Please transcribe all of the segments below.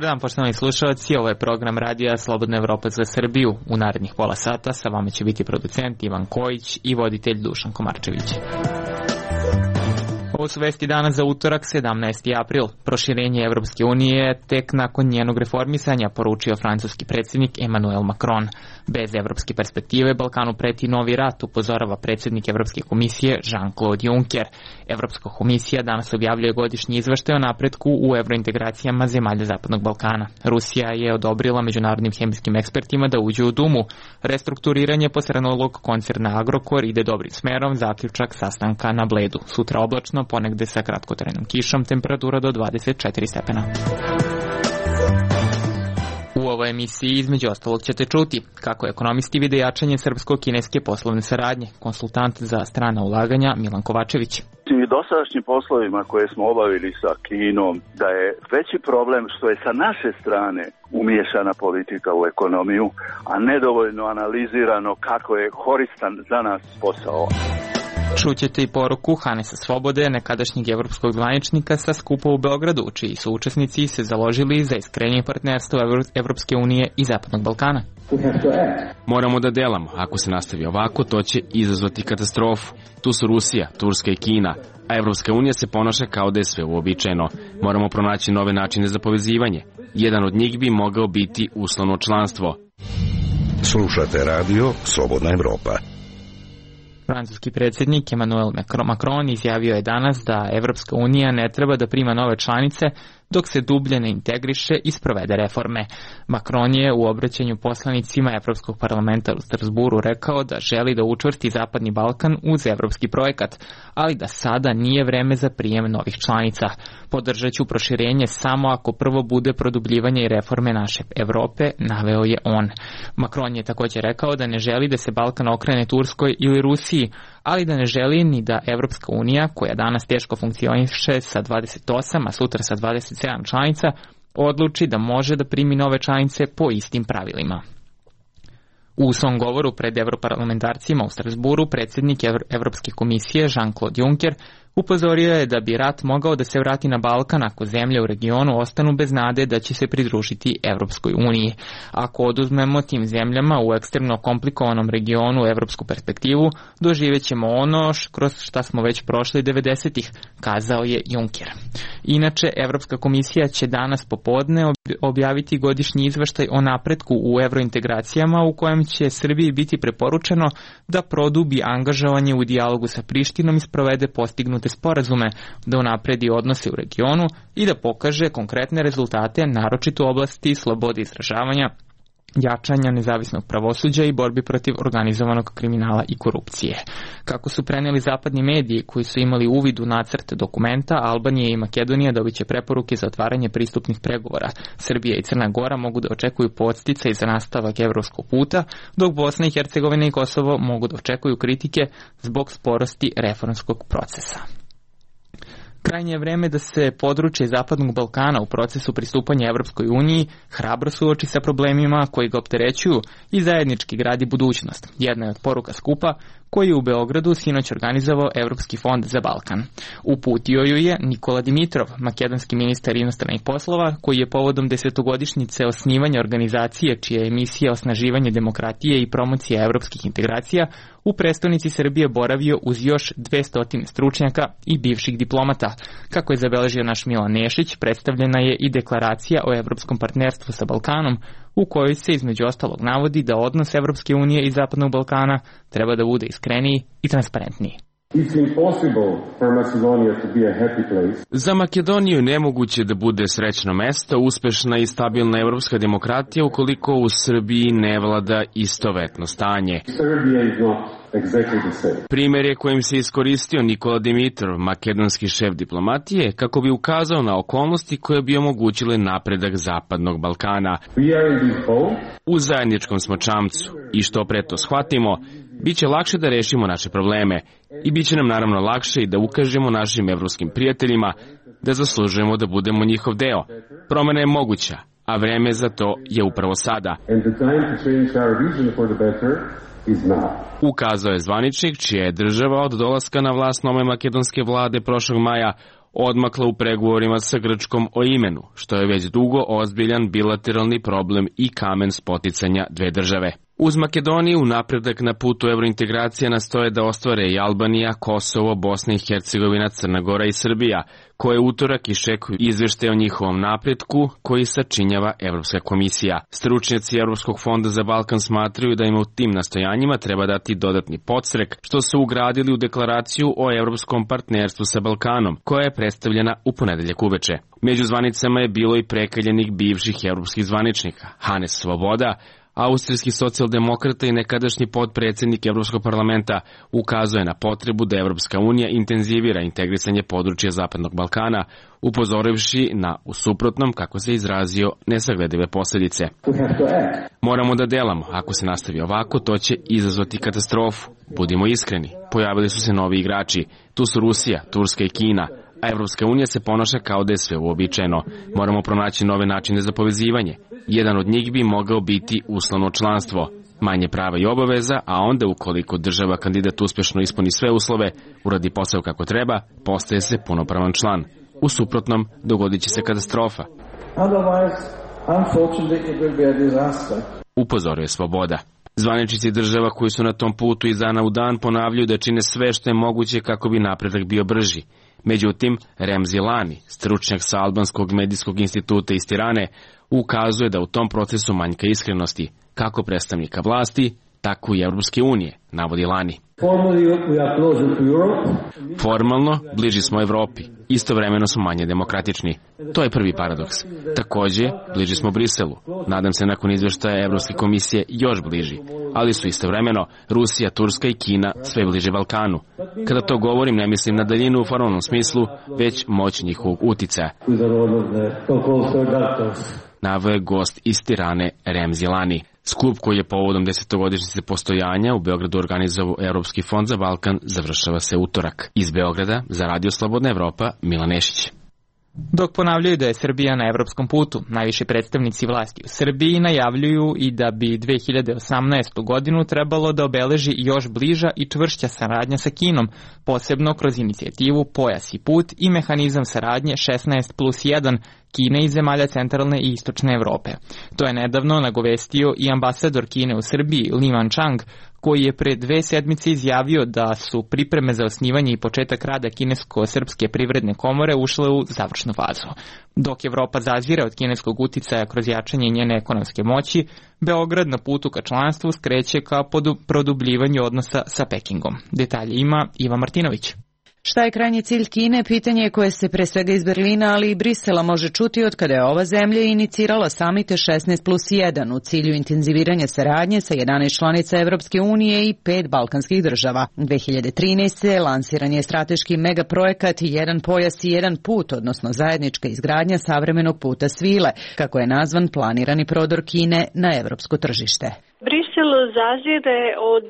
Dobar dan, poštovani slušalci, ovo je program Radija Slobodna Evropa za Srbiju. U narednih pola sata sa vama će biti producent Ivan Kojić i voditelj Dušan Komarčević. Ovo su vesti danas za utorak, 17. april. Proširenje Evropske unije tek nakon njenog reformisanja, poručio francuski predsjednik Emmanuel Macron. Bez evropske perspektive Balkanu preti novi rat, upozorava predsjednik Evropske komisije Jean-Claude Juncker. Evropska komisija danas objavljuje godišnji izveštaj o napretku u evrointegracijama zemalja Zapadnog Balkana. Rusija je odobrila međunarodnim hemijskim ekspertima da uđu u Dumu. Restrukturiranje posrednolog koncerna Agrokor ide dobrim smerom, zaključak sastanka na Bledu. Sutra oblačno, ponegde sa kratkotrajnom kišom, temperatura do 24 stepena. U ovoj emisiji između ostalog ćete čuti kako ekonomisti vide jačanje srpsko-kineske poslovne saradnje. Konsultant za strana ulaganja Milan Kovačević. I dosadašnjim poslovima koje smo obavili sa Kinom, da je veći problem što je sa naše strane umiješana politika u ekonomiju, a nedovoljno analizirano kako je koristan za nas posao. Čućete i poruku Hanesa Svobode, nekadašnjeg evropskog zvaničnika sa skupa u Beogradu, čiji su učesnici se založili za iskrenje partnerstva Evropske unije i Zapadnog Balkana. Moramo da delamo. Ako se nastavi ovako, to će izazvati katastrofu. Tu su Rusija, Turska i Kina, a Evropska unija se ponaša kao da je sve uobičajeno. Moramo pronaći nove načine za povezivanje. Jedan od njih bi mogao biti uslovno članstvo. Slušate radio Slobodna Evropa. Francuski predsjednik Emmanuel Macron izjavio je danas da Evropska unija ne treba da prima nove članice dok se dublje ne integriše i sprovede reforme. Macron je u obraćanju poslanicima Evropskog parlamenta u Strasburu rekao da želi da učvrsti Zapadni Balkan uz evropski projekat, ali da sada nije vreme za prijem novih članica. Podržat ću proširenje samo ako prvo bude produbljivanje i reforme naše Evrope, naveo je on. Macron je također rekao da ne želi da se Balkan okrene Turskoj ili Rusiji, ali da ne želi ni da Evropska unija, koja danas teško funkcioniše sa 28, a sutra sa 27 članica, odluči da može da primi nove članice po istim pravilima. U svom govoru pred evroparlamentarcima u Strasburu predsjednik Evropske komisije Jean-Claude Juncker upozorio je da bi rat mogao da se vrati na Balkan ako zemlje u regionu ostanu bez nade da će se pridružiti Evropskoj uniji. Ako oduzmemo tim zemljama u ekstremno komplikovanom regionu evropsku perspektivu, doživjet ćemo ono kroz šta smo već prošli 90-ih, kazao je Juncker. Inače, Evropska komisija će danas popodne objaviti godišnji izveštaj o napretku u evrointegracijama u kojem će Srbiji biti preporučeno da produbi angažovanje u dijalogu sa Prištinom i sprovede postignute sporazume, da unapredi odnose u regionu i da pokaže konkretne rezultate, naročito u oblasti slobode izražavanja, jačanja nezavisnog pravosuđa i borbi protiv organizovanog kriminala i korupcije. Kako su preneli zapadni mediji koji su imali uvid u nacrt dokumenta, Albanija i Makedonija dobit će preporuke za otvaranje pristupnih pregovora. Srbija i Crna Gora mogu da očekuju podsticaj za nastavak evropskog puta, dok Bosna i Hercegovina i Kosovo mogu da očekuju kritike zbog sporosti reformskog procesa. Krajnje je vreme da se područje Zapadnog Balkana u procesu pristupanja Evropskoj uniji hrabro suoči sa problemima koji ga opterećuju i zajednički gradi budućnost. Jedna je od poruka skupa koji je u Beogradu sinoć organizovao Evropski fond za Balkan. Uputio ju je Nikola Dimitrov, makedonski ministar inostranih poslova, koji je povodom 10-godišnjice osnivanja organizacije čija je misija osnaživanje demokratije i promocija evropskih integracija u prestonici Srbije boravio uz još 200 stručnjaka i bivših diplomata. Kako je zabeležio naš Milan Nešić, predstavljena je i deklaracija o evropskom partnerstvu sa Balkanom, u kojoj se između ostalog navodi da odnos Evropske unije i Zapadnog Balkana treba da bude iskreniji i transparentniji. Za Makedoniju je nemoguće da bude srećno mesto, uspešna i stabilna evropska demokratija ukoliko u Srbiji ne vlada istovetno stanje. Primjer je kojim se iskoristio Nikola Dimitrov, makedonski šef diplomatije, kako bi ukazao na okolnosti koje bi omogućile napredak Zapadnog Balkana. U zajedničkom smo čamcu i što pre to shvatimo, bit će lakše da rešimo naše probleme i bit će nam naravno lakše i da ukažemo našim evropskim prijateljima da zaslužujemo da budemo njihov deo. Promena je moguća, a vreme za to je upravo sada. Ukazao je zvaničnik čija je država od dolaska na vlast nove makedonske vlade prošlog maja odmakla u pregovorima sa Grčkom o imenu, što je već dugo ozbiljan bilateralni problem i kamen spoticanja dve države. Uz Makedoniju napredak na putu evrointegracija nastoje da ostvare i Albanija, Kosovo, Bosna i Hercegovina, Crna Gora i Srbija, koje utorak iščekuju izveštaje o njihovom napretku koji sačinjava Evropska komisija. Stručnjaci Evropskog fonda za Balkan smatraju da im u tim nastojanjima treba dati dodatni podstrek, što su ugradili u deklaraciju o evropskom partnerstvu sa Balkanom, koja je predstavljena u ponedeljak uveče. Među zvanicama je bilo i prekaljenih bivših evropskih zvaničnika, Hannes Svoboda, austrijski socijaldemokrata i nekadašnji potpredsjednik Evropskog parlamenta, ukazuje na potrebu da Evropska unija intenzivira integrisanje područja Zapadnog Balkana, upozorivši na, u suprotnom, kako se izrazio, nesagledive posljedice. Moramo da delamo, ako se nastavi ovako, to će izazvati katastrofu. Budimo iskreni, pojavili su se novi igrači, tu su Rusija, Turska i Kina, a Evropska unija se ponaša kao da je sve uobičajeno. Moramo pronaći nove načine za povezivanje. Jedan od njih bi mogao biti uslovno članstvo, manje prava i obaveza, a onda ukoliko država kandidat uspješno ispuni sve uslove, uradi posao kako treba, postaje se punopravan član. U suprotnom, dogodit će se katastrofa. Upozorio je Svoboda. Zvaničnici država koji su na tom putu iz dana u dan ponavljaju da čine sve što je moguće kako bi napredak bio brži. Međutim, Remzi Lani, stručnjak sa Albanskog medijskog instituta iz Tirane, ukazuje da u tom procesu manjka iskrenosti, kako predstavnika vlasti, tako i Evropske unije, navodi Lani. Formalno, bliži smo Evropi, istovremeno smo manje demokratični. To je prvi paradoks. Također, bliži smo Briselu. Nadam se nakon izvještaja Evropske komisije još bliži, ali su istovremeno Rusija, Turska i Kina sve bliže Balkanu. Kada to govorim, ne mislim na daljinu u formalnom smislu, već moć njihovog uticaja. Naveo je gost iz Tirane Remzi Lani. Skup koji je povodom 10-godišnjice postojanja u Beogradu organizovao Evropski fond za Balkan završava se utorak. Iz Beograda za Radio Slobodna Evropa, Milan Nešić. Dok ponavljaju da je Srbija na evropskom putu, najviši predstavnici vlasti u Srbiji najavljuju i da bi 2018. godinu trebalo da obeleži još bliža i čvršća saradnja sa Kinom, posebno kroz inicijativu Pojas i put i mehanizam saradnje 16+1 Kine i zemalja centralne i istočne Evrope. To je nedavno nagovestio i ambasador Kine u Srbiji, Li Manchang, koji je pre 2 sedmice izjavio da su pripreme za osnivanje i početak rada Kinesko-srpske privredne komore ušle u završnu fazu. Dok Evropa zazira od kineskog uticaja kroz jačanje njene ekonomske moći, Beograd na putu ka članstvu skreće ka produbljivanju odnosa sa Pekingom. Detalje ima Iva Martinović. Šta je krajnji cilj Kine, pitanje koje se pre svega iz Berlina, ali i Brisela može čuti od kada je ova zemlja inicirala samite 16+1 u cilju intenziviranja saradnje sa 11 članica Evropske unije i 5 balkanskih država. 2013. lansiran je strateški megaprojekat Jedan pojas i jedan put, odnosno zajednička izgradnja savremenog puta svile, kako je nazvan planirani prodor Kine na evropsko tržište. Brisel zazire od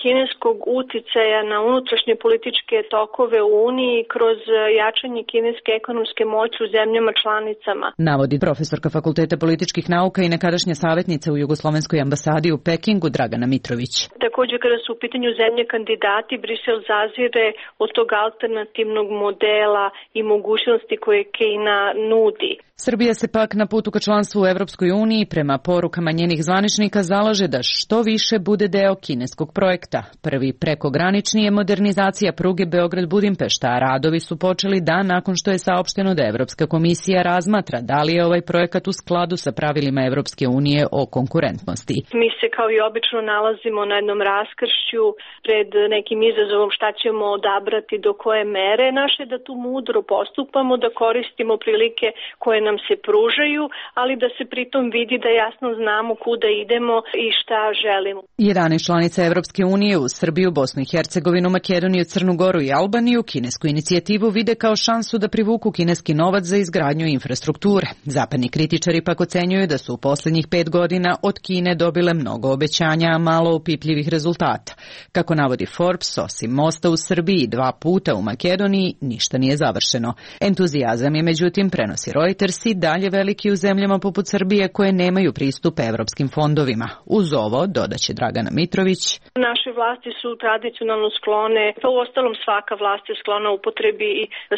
kineskog uticaja na unutrašnje političke tokove u Uniji kroz jačanje kineske ekonomske moći u zemljama članicama. Navodi profesorka Fakulteta političkih nauka i nekadašnja savjetnica u Jugoslovenskoj ambasadi u Pekingu Dragana Mitrović. Također kada su u pitanju zemlje kandidati, Brisel zazire od tog alternativnog modela i mogućnosti koje Kina nudi. Srbija se pak na putu ka članstvu u Evropskoj uniji prema porukama njenih zvaničnika zalaže da što više bude deo kineskog projekta. Prvi prekogranični je modernizacija pruge Beograd-Budimpešta, a radovi su počeli dan nakon što je saopšteno da Evropska komisija razmatra da li je ovaj projekat u skladu sa pravilima Evropske unije o konkurentnosti. Mi se kao i obično nalazimo na jednom raskršću pred nekim izazovom šta ćemo odabrati do koje mere. Naše da tu mudro postupamo, da koristimo prilike koje nam se pružaju, ali da se pritom vidi da jasno znamo kuda idemo i šta želimo. 11 članica Evropske unije u Srbiju, Bosnu i Hercegovinu, Makedoniju, Crnu Goru i Albaniju kinesku inicijativu vide kao šansu da privuku kineski novac za izgradnju infrastrukture. Zapadni kritičari pak ocenjuju da su u posljednjih 5 godina od Kine dobile mnogo obećanja, a malo opipljivih rezultata. Kako navodi Forbes, osim mosta u Srbiji 2 puta u Makedoniji, ništa nije završeno. Entuzijazam je međutim, prenosi Reuters, interesi dalje veliki u zemljama poput Srbije koje nemaju pristup evropskim fondovima. Uz ovo, dodaće Dragana Mitrović, naše vlasti su tradicionalno sklone, pa u ostalom svaka vlast je sklona upotrebi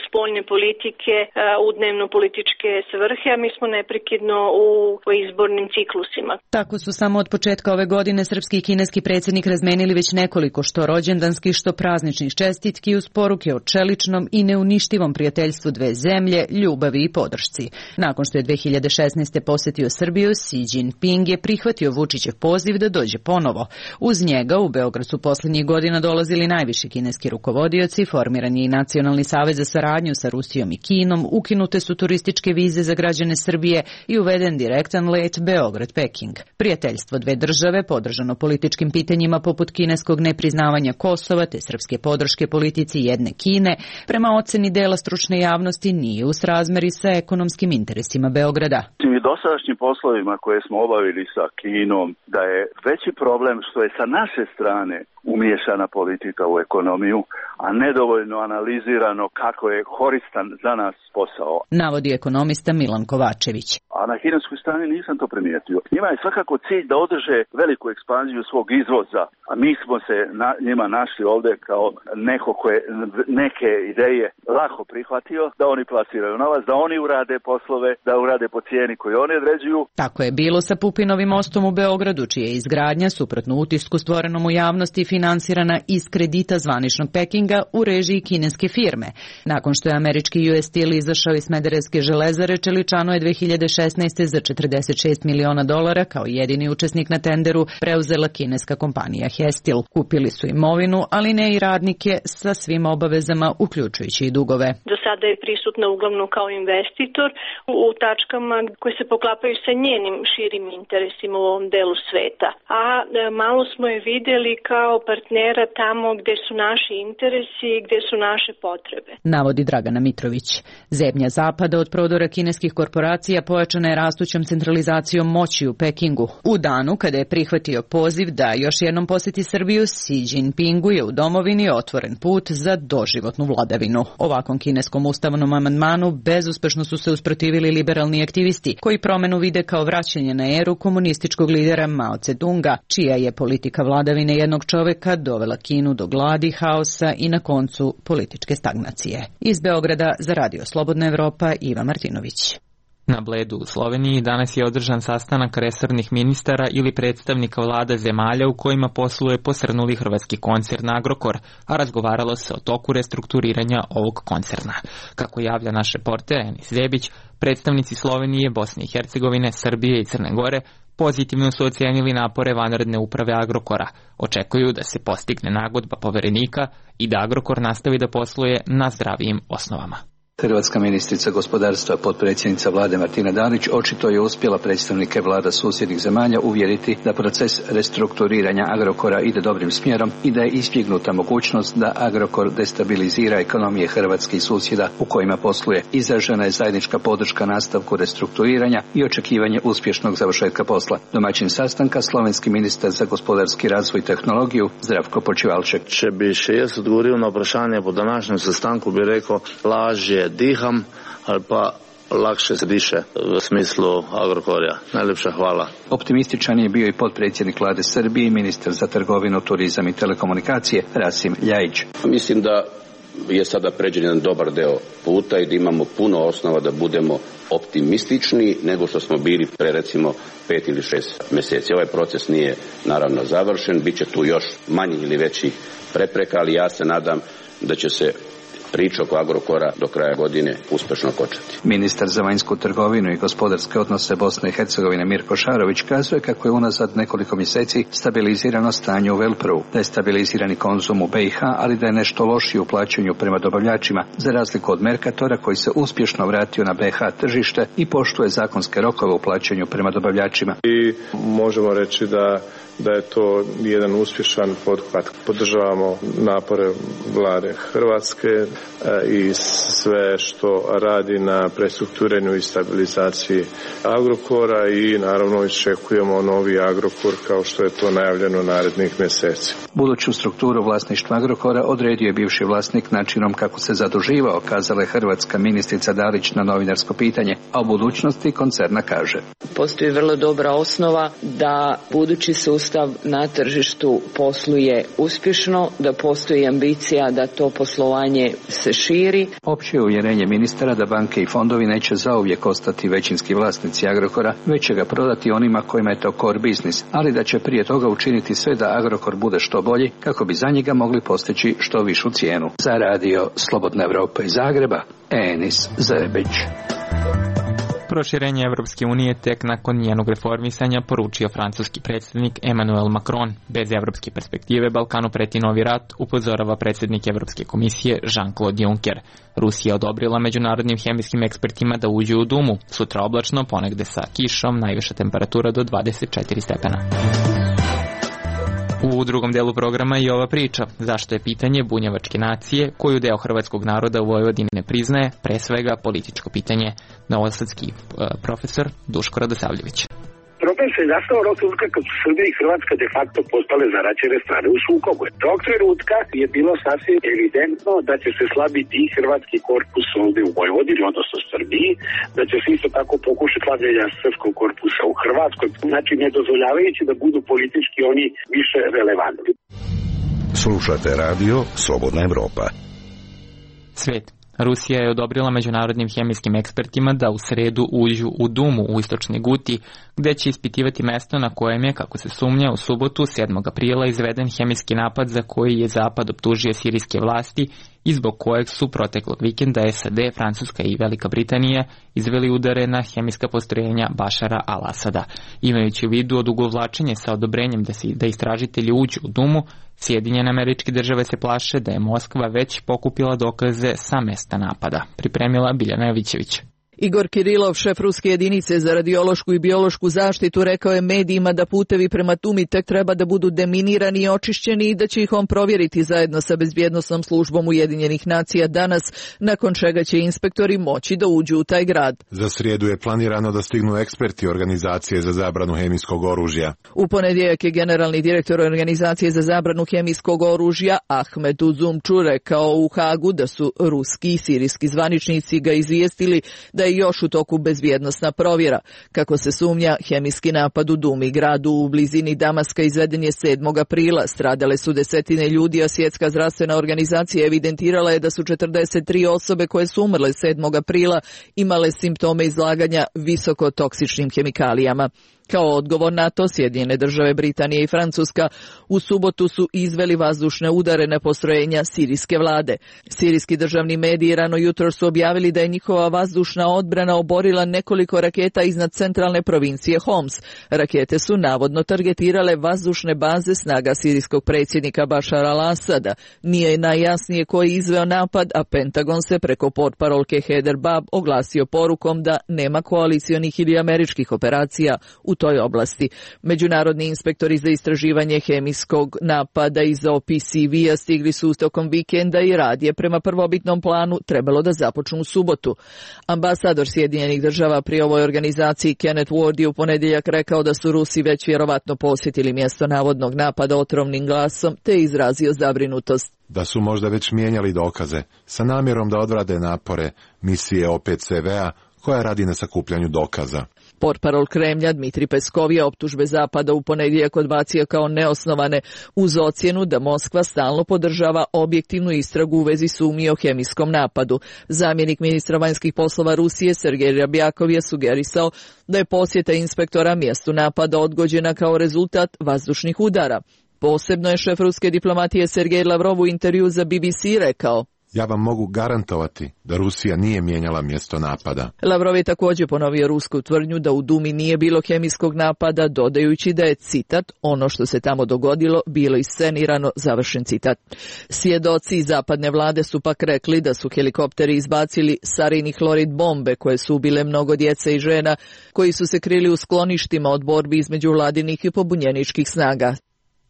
spoljne politike u dnevno-političke svrhe, a mi smo neprekidno u izbornim ciklusima. Tako su samo od početka ove godine srpski i kineski predsjednik razmenili već nekoliko što rođendanskih, što prazničnih čestitki uz poruke o čeličnom i neuništivom prijateljstvu dve zemlje, ljubavi i podršci. Nakon što je 2016. posjetio Srbiju, Xi Jinping je prihvatio Vučićev poziv da dođe ponovo. Uz njega u Beograd su posljednjih godina dolazili najviši kineski rukovodioci, formiran je i Nacionalni savez za saradnju sa Rusijom i Kinom, ukinute su turističke vize za građane Srbije i uveden direktan let Beograd-Peking. Prijateljstvo dve države, podržano političkim pitanjima poput kineskog nepriznavanja Kosova te srpske podrške politici jedne Kine, prema oceni dela stručne javnosti nije u srazmeri sa ekonomskim interesima Beograda. I dosadašnjim poslovima koje smo obavili sa Kinom, da je veći problem što je sa naše strane umiješana politika u ekonomiju, a nedovoljno analizirano kako je koristan za nas posao. Navodi ekonomista Milan Kovačević. A na kineskoj strani nisam to primijetio. Njima je svakako cilj da održe veliku ekspanziju svog izvoza, a mi smo se njima našli ovdje kao neko koje neke ideje lako prihvatio, da oni plasiraju novac, da oni urade poslove, da urade po cijeni koju oni određuju. Tako je bilo sa Pupinovim mostom u Beogradu, čija je izgradnja, suprotno utisku stvorenom u javnosti, finansirana iz kredita zvaničnog Pekinga u režiji kineske firme. Nakon što je američki US Steel izašao iz Smederevske železare, Čeličano je 2016. za $46 miliona kao jedini učesnik na tenderu preuzela kineska kompanija Hestil. Kupili su imovinu, ali ne i radnike sa svim obavezama, uključujući i dugove. Do sada je prisutna uglavnom kao investitor u tačkama koje se poklapaju sa njenim širim interesima u ovom delu sveta. A malo smo je vidjeli kao partnera tamo gdje su naši interesi i gdje su naše potrebe. Navodi Dragana Mitrović. Zemlja zapada od prodora kineskih korporacija pojačana je rastućom centralizacijom moći u Pekingu. U danu kada je prihvatio poziv da još jednom posjeti Srbiju, Xi Jinpingu je u domovini otvoren put za doživotnu vladavinu. Ovakvom kineskom ustavnom amandmanu bezuspešno su se usprotivili liberalni aktivisti, koji promenu vide kao vraćanje na eru komunističkog lidera Mao Tse-tunga, čija je politika vladavine jednog čoveka dovela Kinu do gladi, haosa i na koncu političke stagnacije. Iz Beograda za Radio Slobodna Evropa, Iva Martinović. Na Bledu u Sloveniji danas je održan sastanak resornih ministara ili predstavnika vlada zemalja u kojima posluje posrnuli hrvatski koncern Agrokor, a razgovaralo se o toku restrukturiranja ovog koncerna. Kako javlja naš reporter Enis Vebić, predstavnici Slovenije, Bosne i Hercegovine, Srbije i Crne Gore pozitivno su ocijenili napore vanredne uprave Agrokora. Očekuju da se postigne nagodba poverenika i da Agrokor nastavi da posluje na zdravijim osnovama. Hrvatska ministrica gospodarstva, potpredsjednica vlade Martina Dalić, očito je uspjela predstavnike vlada susjednih zemalja uvjeriti da proces restrukturiranja Agrokora ide dobrim smjerom i da je izbjegnuta mogućnost da Agrokor destabilizira ekonomije hrvatskih susjeda u kojima posluje. Izražena je zajednička podrška nastavku restrukturiranja i očekivanje uspješnog završetka posla. Domaćin sastanka slovenski ministar za gospodarski razvoj i tehnologiju Zdravko Počivalšek. Če bi še jaz odgovoril na vprašanje po današnjem sestanku, bi rekel, lažje diham ali pa lakše se diše v smislu Agrokorja. Najlepša hvala. Optimističan je bio i potpredsjednik vlade Srbije i ministar za trgovinu, turizam i telekomunikacije Rasim Ljajić. Mislim da je sada pređen jedan dobar deo puta i da imamo puno osnova da budemo optimistični nego što smo bili pre recimo 5 ili 6 mjeseci. Ovaj proces nije naravno završen, bit će tu još manjih ili većih prepreka, ali ja se nadam da će se priča oko Agrokora do kraja godine uspješno kočati. Ministar za vanjsku trgovinu i gospodarske odnose Bosne i Hercegovine Mirko Šarović kazuje kako je unazad nekoliko mjeseci stabilizirano stanje u Velpru, da je stabilizirani konzum u BiH, ali da je nešto lošije u plaćanju prema dobavljačima, za razliku od Mercatora koji se uspješno vratio na BiH tržište i poštuje zakonske rokove u plaćanju prema dobavljačima. I možemo reći da je to jedan uspješan pothvat. Podržavamo napore vlade Hrvatske i sve što radi na prestrukturiranju i stabilizaciji Agrokora i naravno iščekujemo novi Agrokor kao što je to najavljeno narednih mjeseci. Buduću strukturu vlasništva Agrokora odredio je bivši vlasnik načinom kako se zaduživao, kazala je hrvatska ministrica Dalić na novinarsko pitanje, a o budućnosti koncerna kaže. Postoji vrlo dobra osnova da budući sustav na tržištu posluje uspješno, da postoji ambicija da to poslovanje se širi. Opće je uvjerenje ministara da banke i fondovi neće zauvijek ostati većinski vlasnici Agrokora, već će ga prodati onima kojima je to core business, ali da će prije toga učiniti sve da Agrokor bude što bolji kako bi za njega mogli postići što višu cijenu. Za radio Slobodna Evropa iz Zagreba, Enis Zebić. Proširenje Evropske unije tek nakon njenog reformisanja, poručio francuski predsjednik Emmanuel Macron. Bez evropske perspektive Balkanu preti novi rat, upozorava predsjednik Evropske komisije Jean-Claude Juncker. Rusija odobrila međunarodnim hemijskim ekspertima da uđu u Dumu. Sutra oblačno, ponegde sa kišom, najviša temperatura do 24 stepena. U drugom delu programa i ova priča, zašto je pitanje bunjevačke nacije, koju deo hrvatskog naroda u Vojvodini ne priznaje, pre svega političko pitanje. Novosadski profesor Duško Radosavljević. Problem se nastao onog trenutka kad su Srbija i Hrvatska de facto postale zaraćene strane u sukobu. Tog trenutka je bilo sasvim evidentno da će se slabiti i hrvatski korpus ovdje u Vojvodini, odnosno Srbiji, da će se isto tako pokušati slabljenja srpskog korpusa u Hrvatskoj, znači ne dozvoljavajući da budu politički oni više relevantni. Slušate radio Slobodna Evropa. Svet. Rusija je odobrila međunarodnim hemijskim ekspertima da u sredu uđu u Dumu u istočnoj Guti, gde će ispitivati mesto na kojem je, kako se sumnja, u subotu 7. aprila izveden hemijski napad za koji je Zapad optužio sirijske vlasti i zbog kojeg su proteklog vikenda SAD, Francuska i Velika Britanija izveli udare na hemijska postrojenja Bašara al-Asada. Imajući u vidu odugovlačenje sa odobrenjem da istražitelji uđu u Dumu, Sjedinjene Američke Države se plaše da je Moskva već pokupila dokaze sa mesta napada. Pripremila Biljana Jovićević. Igor Kirilov, šef ruske jedinice za radiološku i biološku zaštitu, rekao je medijima da putevi prema Dumi tek treba da budu deminirani i očišćeni i da će ih on provjeriti zajedno sa bezbjednosnom službom Ujedinjenih nacija danas, nakon čega će inspektori moći da uđu u taj grad. Za srijedu je planirano da stignu eksperti Organizacije za zabranu hemijskog oružja. U ponedjeljak je generalni direktor Organizacije za zabranu hemijskog oružja Ahmed Uzumču rekao u Hagu da su ruski i sirijski zvaničnici ga izvijestili da je još u toku bezbjednosna provjera. Kako se sumnja, hemijski napad u Dumi, gradu u blizini Damaska, izveden je 7. aprila. Stradale su desetine ljudi, a Svjetska zdravstvena organizacija evidentirala je da su 43 osobe koje su umrle 7. aprila imale simptome izlaganja visoko toksičnim hemikalijama. Kao odgovor na to, Sjedinjene Države, Britanija i Francuska u subotu su izveli vazdušne udare na postrojenja sirijske vlade. Sirijski državni mediji rano jutro su objavili da je njihova vazdušna odbrana oborila nekoliko raketa iznad centralne provincije Homs. Rakete su navodno targetirale vazdušne baze snaga sirijskog predsjednika Bašara al-Asada. Nije najjasnije ko je izveo napad, a Pentagon se preko portparolke Heather Bab oglasio porukom da nema koalicionih ili američkih operacija u toj oblasti. Međunarodni inspektori za istraživanje hemijskog napada iz OPCV-a stigli su tokom vikenda i rad je prema prvobitnom planu trebalo da započnu u subotu. Ambasador Sjedinjenih Država pri ovoj organizaciji Kenneth Ward je u ponedjeljak rekao da su Rusi već vjerovatno posjetili mjesto navodnog napada otrovnim glasom, te izrazio zabrinutost. Da su možda već mijenjali dokaze sa namjerom da odvrade napore misije OPCV-a koja radi na sakupljanju dokaza. Portparol Kremlja Dmitri Peskov je optužbe Zapada u ponedjeljak odbacio kao neosnovane uz ocjenu da Moskva stalno podržava objektivnu istragu u vezi sumnji o hemijskom napadu. Zamjenik ministra vanjskih poslova Rusije Sergej Rjabjakov je sugerisao da je posjeta inspektora mjestu napada odgođena kao rezultat vazdušnih udara. Posebno je šef ruske diplomatije Sergej Lavrov u intervju za BBC rekao: Ja vam mogu garantovati da Rusija nije mijenjala mjesto napada. Lavrov je također ponovio rusku tvrdnju da u Dumi nije bilo hemijskog napada, dodajući da je, citat, ono što se tamo dogodilo bilo iscenirano, završen citat. Svjedoci zapadne vlade su pak rekli da su helikopteri izbacili sarin i hlorid bombe koje su ubile mnogo djece i žena koji su se krili u skloništima od borbi između vladinih i pobunjeničkih snaga.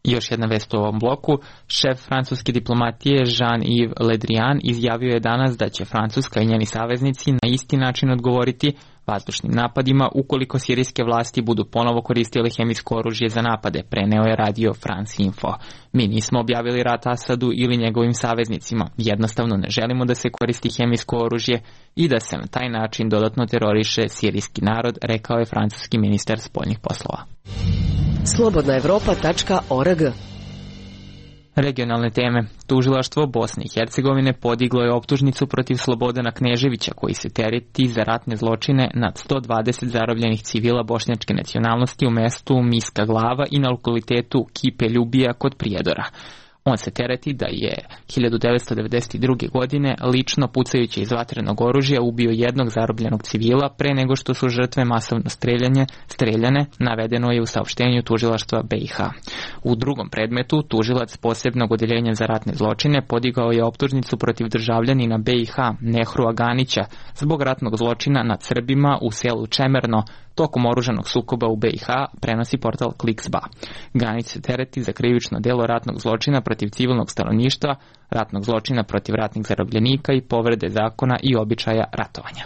I još jedna vest u ovom bloku. Šef francuske diplomatije Jean-Yves Le Drian izjavio je danas da će Francuska i njeni saveznici na isti način odgovoriti vazdušnim napadima ukoliko sirijske vlasti budu ponovo koristile hemijsko oružje za napade, preneo je radio France Info. Mi nismo objavili rat Asadu ili njegovim saveznicima, jednostavno ne želimo da se koristi hemijsko oružje i da se na taj način dodatno teroriše sirijski narod, rekao je francuski ministar spoljnih poslova. Slobodnaevropa.org. Regionalne teme. Tužilaštvo Bosne i Hercegovine podiglo je optužnicu protiv Slobodana Kneževića koji se tereti za ratne zločine nad 120 zarobljenih civila bošnjačke nacionalnosti u mestu Miska Glava i na lokalitetu Kipe Ljubija kod Prijedora. On se tereti da je 1992. godine lično pucajući iz vatrenog oružja ubio jednog zarobljenog civila pre nego što su žrtve masovno streljane, navedeno je u saopštenju tužilaštva BiH. U drugom predmetu tužilac posebnog odeljenja za ratne zločine podigao je optužnicu protiv državljanina BiH Nehru Aganića zbog ratnog zločina nad Srbima u selu Čemerno tokom oružanog sukoba u BiH, prenosi portal Kliksba. Ganić se tereti za krivično delo ratnog zločina protiv civilnog stanovništva, ratnog zločina protiv ratnih zarobljenika i povrede zakona i običaja ratovanja.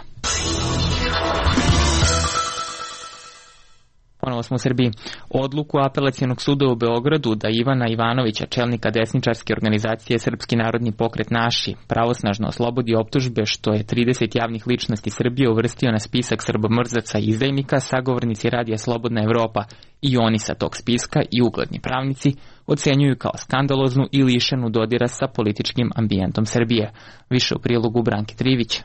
Ponovo smo u Srbiji. Odluku Apelacionog suda u Beogradu da Ivana Ivanovića, čelnika desničarske organizacije Srpski narodni pokret Naši, pravosnažno oslobodi optužbe što je 30 javnih ličnosti Srbije uvrstio na spisak srbomrzaca i izdajnika, sagovornici radija Slobodna Evropa i oni sa tog spiska i ugledni pravnici ocenjuju kao skandaloznu i lišenu dodira sa političkim ambijentom Srbije. Više u prilogu Branke Trivić.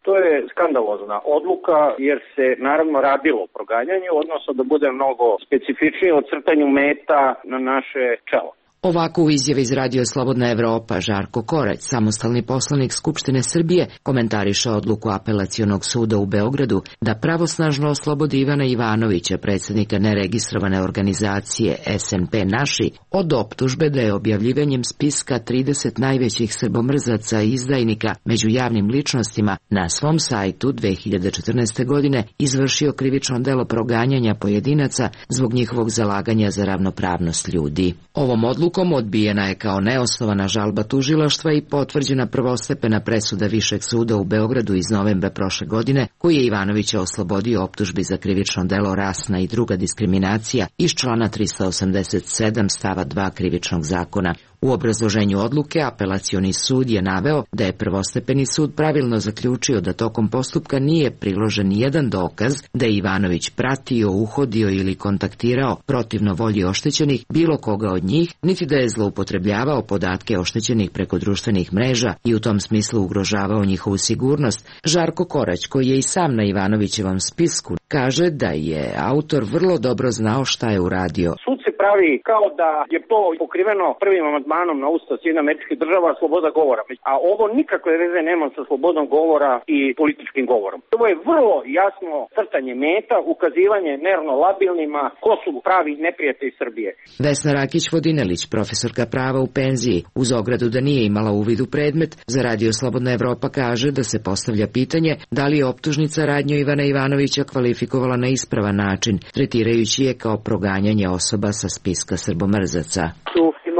To je skandalozna odluka jer se naravno radilo o proganjanju, odnosno da bude mnogo specifičnije o crtanju meta na naše čelo. Ovako u izjavi iz Radio Slobodna Evropa Žarko Korać, samostalni poslanik Skupštine Srbije, komentariše odluku Apelacionog suda u Beogradu da pravosnažno oslobodi Ivana Ivanovića, predsjednika neregistrovane organizacije SNP Naši, od optužbe da je objavljivanjem spiska 30 najvećih srbomrzaca i izdajnika među javnim ličnostima na svom sajtu 2014. godine izvršio krivično delo proganjanja pojedinaca zbog njihovog zalaganja za ravnopravnost ljudi. Ovom odlukom odbijena je kao neosnovana žalba tužilaštva i potvrđena prvostepena presuda Višeg suda u Beogradu iz novembra prošle godine, koji je Ivanovića oslobodio optužbi za krivično delo rasna i druga diskriminacija iz člana 387 stava 2 Krivičnog zakona. U obrazloženju odluke Apelacioni sud je naveo da je prvostepeni sud pravilno zaključio da tokom postupka nije priložen nijedan dokaz da je Ivanović pratio, uhodio ili kontaktirao protivno volji oštećenih bilo koga od njih, niti da je zloupotrebljavao podatke oštećenih preko društvenih mreža i u tom smislu ugrožavao njihovu sigurnost. Žarko Korać, koji je i sam na Ivanovićevom spisku, kaže da je autor vrlo dobro znao šta je uradio. Sud se pravi kao da je to pokriveno prvim amandmanom na Ustav Sjedinjenih Američkih Država, sloboda govora. A ovo nikakve veze nema sa slobodom govora i političkim govorom. Ovo je vrlo jasno crtanje meta, ukazivanje nervno labilnima ko su pravi neprijatelji Srbije. Vesna Rakić-Vodinelić, profesorka prava u penziji, uz ogradu da nije imala uvid u predmet, za Radio Slobodna Evropa kaže da se postavlja pitanje da li je optužnica radnju Ivana Ivanovića kvalifikovala na ispravan način, tretirajući je kao proganjanje osoba sa spiska srbomrzaca.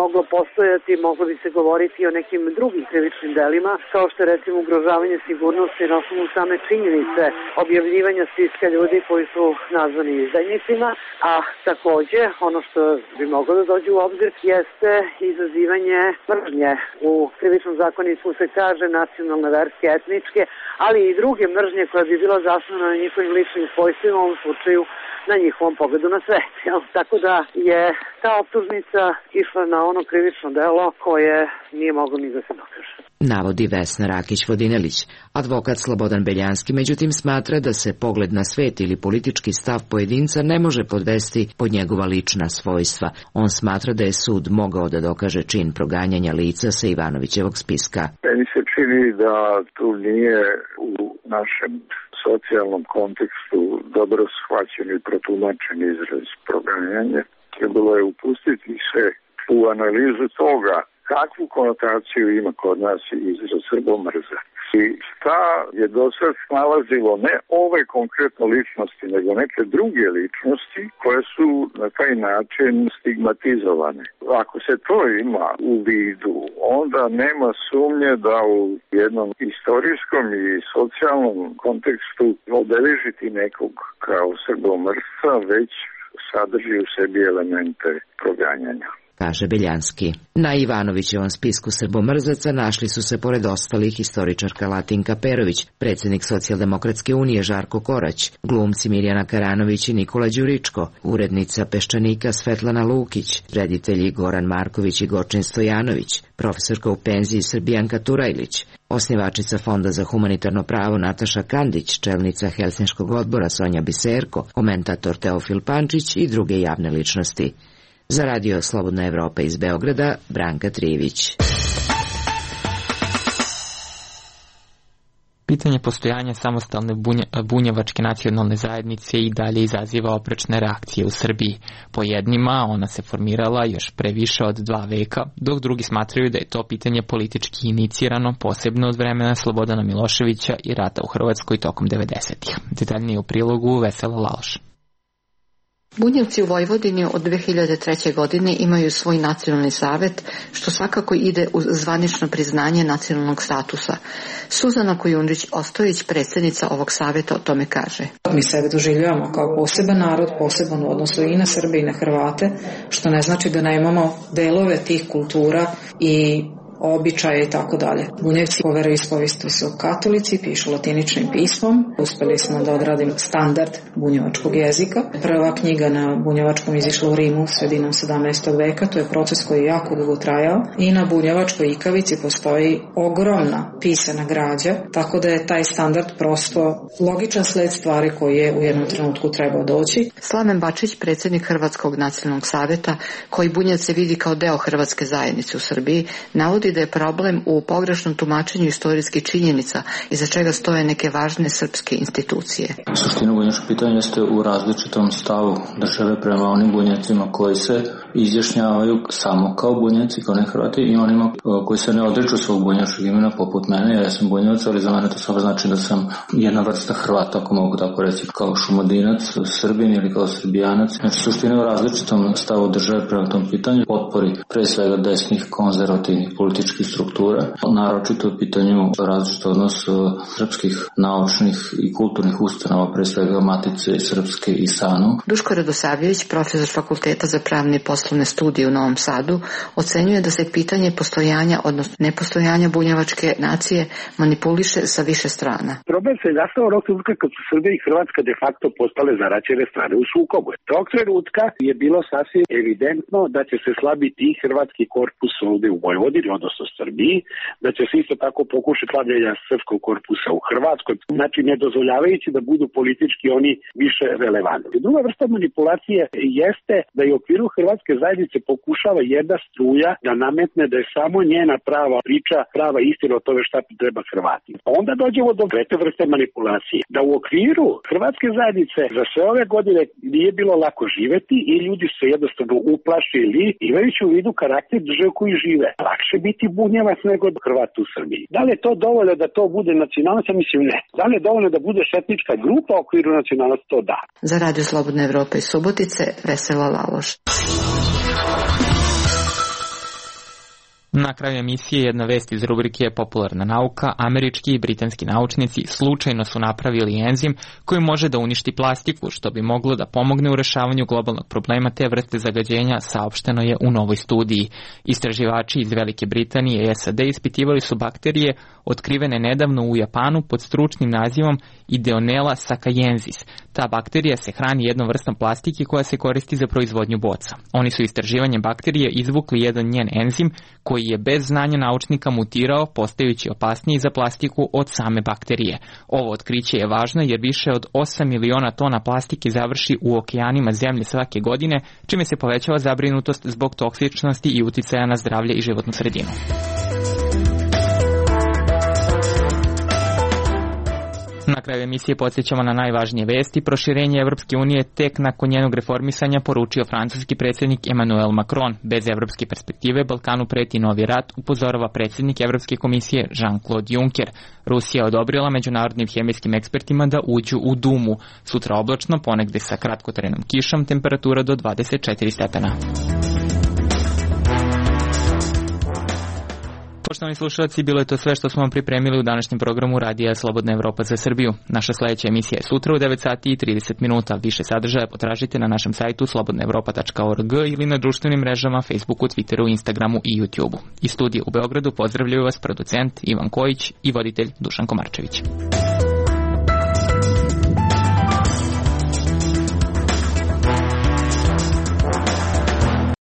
Moglo postojati, moglo bi se govoriti o nekim drugim krivičnim delima, kao što je recimo ugrožavanje sigurnosti na osnovu same činjenice objavljivanja spiska ljudi koji su nazvani izdajnicima, a takođe ono što bi moglo da dođe u obzir jeste izazivanje mržnje. U krivičnom zakoniku se kaže nacionalne, verske, etničke, ali i druge mržnje koja bi bila zasnovana na njihovim ličnim svojstvima, u ovom slučaju na njihovom pogledu na svet. Tako da je ta optužnica išla na ono krivično delo koje nije moglo ni da se dokaže. Navodi Vesna Rakić-Vodinelić. Advokat Slobodan Beljanski međutim smatra da se pogled na svet ili politički stav pojedinca ne može podvesti pod njegova lična svojstva. On smatra da je sud mogao da dokaže čin proganjanja lica sa Ivanovićevog spiska. Meni se čini da tu nije u našem socijalnom kontekstu dobro shvaćen i protumačen izraz proganjanje. Trebalo je upustiti se u analizu toga kakvu konotaciju ima kod nas izraz srbomrza. I šta je do sad snalazilo ne ove konkretno ličnosti, nego neke druge ličnosti koje su na taj način stigmatizovane. Ako se to ima u vidu, onda nema sumnje da u jednom istorijskom i socijalnom kontekstu obeležiti nekog kao srbomrsca već sadrži u sebi elemente proganjanja, kaže Beljanski. Na Ivanovićevom spisku srbomrzaca našli su se pored ostalih historičarka Latinka Perović, predsjednik Socijaldemokratske unije Žarko Korać, glumci Mirjana Karanović i Nikola Đuričko, urednica Peščanika Svetlana Lukić, reditelji Goran Marković i Gočin Stojanović, profesorka u penziji Srbijanka Turajlić, osnivačica Fonda za humanitarno pravo Nataša Kandić, čelnica Helsinškog odbora Sonja Biserko, komentator Teofil Pančić i druge javne ličnosti. Za Radio Slobodna Evropa iz Beograda, Branka Trivić. Pitanje postojanja samostalne bunjevačke nacionalne zajednice i dalje izaziva oprečne reakcije u Srbiji. Po jednima ona se formirala još pre više od 2 veka, dok drugi smatraju da je to pitanje politički inicirano, posebno od vremena Slobodana Miloševića i rata u Hrvatskoj tokom 90-ih. Detaljnije u prilogu Vesela Laloš. Bunjevci u Vojvodini od 2003. godine imaju svoj nacionalni savet, što svakako ide uz zvanično priznanje nacionalnog statusa. Suzana Kujundžić-Ostojić, predsjednica ovog saveta, o tome kaže. Mi sebe doživljavamo kao poseban narod, poseban u odnosu i na Srbe i na Hrvate, što ne znači da nemamo delove tih kultura i običaje i tako dalje. Bunjevci po veroispovesti su katolici, pišu latiničnim pismom. Uspeli smo da odradimo standard bunjevačkog jezika. Prva knjiga na bunjevačkom izišla u Rimu sredinom 17. veka. To je proces koji je jako dugo trajao. I na bunjevačkoj ikavici postoji ogromna pisana građa, tako da je taj standard prosto logičan sled stvari koji je u jednom trenutku trebao doći. Slaven Bačić, predsjednik Hrvatskog nacionalnog saveta, koji Bunjevce vidi kao deo hrvatske zajednice u Srbiji, navodi da je problem u pogrešnom tumačenju istorijskih činjenica iza čega stoje neke važne srpske institucije. Suština bunjevačkog pitanja jeste u različitom stavu države prema onim Bunjevcima koji se izjašnjavaju samo kao Bunjevci, kao ne Hrvati, i onima koji se ne odriču svog bunjevačkog imena poput mene. Ja sam Bunjevac, ali za mene to samo znači da sam jedna vrsta Hrvata, ako mogu tako reći, kao Šumadinac, Srbin ili kao Srbijanac. Znači suština je u različitom stavu države prema tom pitanju, potpori pre svega desnih konzervativnih političkih struktura, naročito u pitanju različit odnos srpskih naučnih i kulturnih ustanova, pre svega Matice Srpske i SANU. Duško Radosavljević, profesor Fakulteta za pravne i poslovne studije u Novom Sadu, ocenjuje da se pitanje postojanja, odnosno nepostojanja bunjevačke nacije manipuliše sa više strana. Problem se nastao onog trenutka kad su Srbija i Hrvatska de facto postale zaraćene strane u sukobu. Tog trenutka je bilo sasvim evidentno da će se slabiti i hrvatski korpus ovde u Vojvodini, odnosno Srbiji, da će se isto tako pokušati slabljenja srpskog korpusa u Hrvatskoj, znači ne dozvoljavajući da budu politički oni više relevantni. Druga vrsta manipulacije jeste da je u okviru hrvatske zajednice pokušava jedna struja da nametne da je samo njena prava priča, prava istina o tome šta treba Hrvati. Onda dođemo do trete vrste manipulacije, da u okviru hrvatske zajednice za sve ove godine nije bilo lako živeti i ljudi su se jednostavno uplašili, imajući u vidu karakter države koji žive. Lakše biti Bunjevac nego Hrvat u Srbiji. Da li je to dovoljno da to bude nacionalnost? Mislim ne. Da li je dovoljno da bude etnička grupa u okviru nacionalnosti? To da. Za Radio Slobodna Evropa iz Subotice, Vesela Laloš. Na kraju emisije jedna vest iz rubrike Popularna nauka. Američki i britanski naučnici slučajno su napravili enzim koji može da uništi plastiku, što bi moglo da pomogne u rešavanju globalnog problema te vrste zagađenja, saopšteno je u novoj studiji. Istraživači iz Velike Britanije i SAD ispitivali su bakterije otkrivene nedavno u Japanu pod stručnim nazivom Ideonella sakayensis. Ta bakterija se hrani jednom vrstom plastike koja se koristi za proizvodnju boca. Oni su istraživanjem bakterije izvukli jedan njen enzim koji je bez znanja naučnika mutirao, postajući opasniji za plastiku od same bakterije. Ovo otkriće je važno jer više od 8 miliona tona plastike završi u okeanima zemlje svake godine, čime se povećava zabrinutost zbog toksičnosti i uticaja na zdravlje i životnu sredinu. Na kraju emisije podsjećamo na najvažnije vesti. Proširenje Evropske unije tek nakon njenog reformisanja poručio francuski predsjednik Emmanuel Macron. Bez evropske perspektive Balkanu preti novi rat, upozorava predsjednik Evropske komisije Jean-Claude Juncker. Rusija je odobrila međunarodnim hemijskim ekspertima da uđu u Dumu. Sutra oblačno, ponegde sa kratkotrajnom kišom, temperatura do 24 stepena. Poštovani slušalci, bilo je to sve što smo vam pripremili u današnjem programu Radija Slobodna Evropa za Srbiju. Naša sledeća emisija je sutra u 9 sati i 30 minuta. Više sadržaja potražite na našem sajtu slobodnaevropa.org ili na društvenim mrežama Facebooku, Twitteru, Instagramu i YouTubeu. Iz studija u Beogradu pozdravljaju vas producent Ivan Kojić i voditelj Dušan Komarčević.